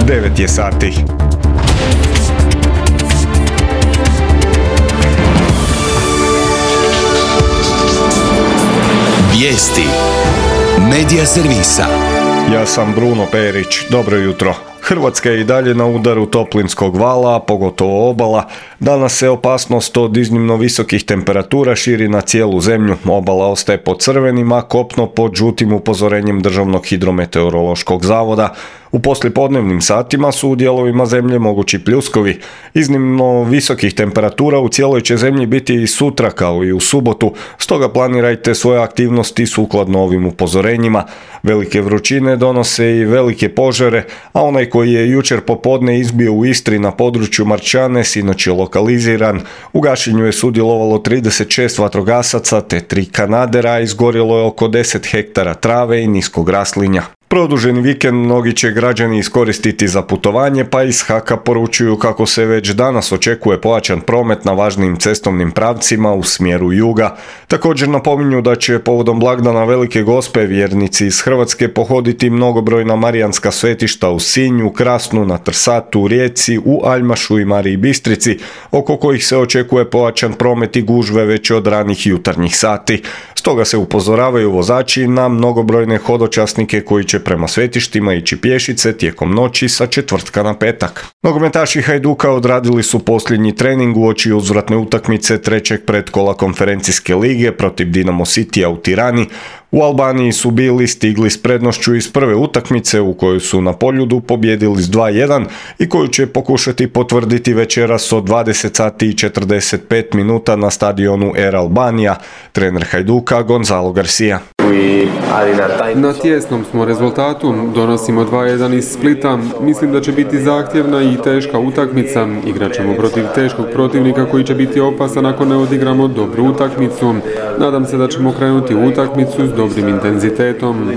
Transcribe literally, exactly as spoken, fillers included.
devet je sati. Vijesti Medija servisa. Ja sam Bruno Perić, dobro jutro. Hrvatska je i dalje na udaru toplinskog vala, pogotovo obala. Danas se opasnost od iznimno visokih temperatura širi na cijelu zemlju. Obala ostaje pod crvenim, a kopno pod žutim upozorenjem Državnog hidrometeorološkog zavoda. U poslijepodnevnim satima su u dijelovima zemlje mogući pljuskovi. Iznimno visokih temperatura u cijeloj će zemlji biti i sutra kao i u subotu, stoga planirajte svoje aktivnosti sukladno ovim upozorenjima. Velike vrućine donose i velike požare, a onaj koji je jučer popodne izbio u Istri na području Marčane sinoć je lokaliziran. U gašenju je sudjelovalo trideset šest vatrogasaca te tri kanadera, izgorjelo je oko deset hektara trave i niskog raslinja. Produženi vikend mnogi će građani iskoristiti za putovanje, pa iz Haka poručuju kako se već danas očekuje pojačan promet na važnim cestovnim pravcima u smjeru juga. Također napominju da će povodom blagdana Velike Gospe vjernici iz Hrvatske pohoditi mnogobrojna marijanska svetišta u Sinju, Krasnu, na Trsatu, Rijeci, u Aljmašu i Mariji Bistrici, oko kojih se očekuje pojačan promet i gužve već od ranih jutarnjih sati. Stoga se upozoravaju vozači na mnogobrojne hodočasnike koji će prema svetištima ići pješice tijekom noći sa četvrtka na petak. Nogometaši Hajduka odradili su posljednji trening uoči uzvratne utakmice trećeg pretkola konferencijske lige protiv Dinamo Citya u Tirani. U Albaniji su bili stigli s prednošću iz prve utakmice u kojoj su na Poljudu pobijedili s dva jedan i koju će pokušati potvrditi večeras od dvadeset sati i četrdeset pet minuta na stadionu Air Albanija. Trener Hajduka Gonzalo Garcia. Na tjesnom smo rezultatu, donosimo dva jedan iz Splita. Mislim da će biti zahtjevna i teška utakmica. Igrat ćemo protiv teškog protivnika koji će biti opasan ako ne odigramo dobru utakmicu. Nadam se da ćemo krenuti u utakmicu s dobrim intenzitetom.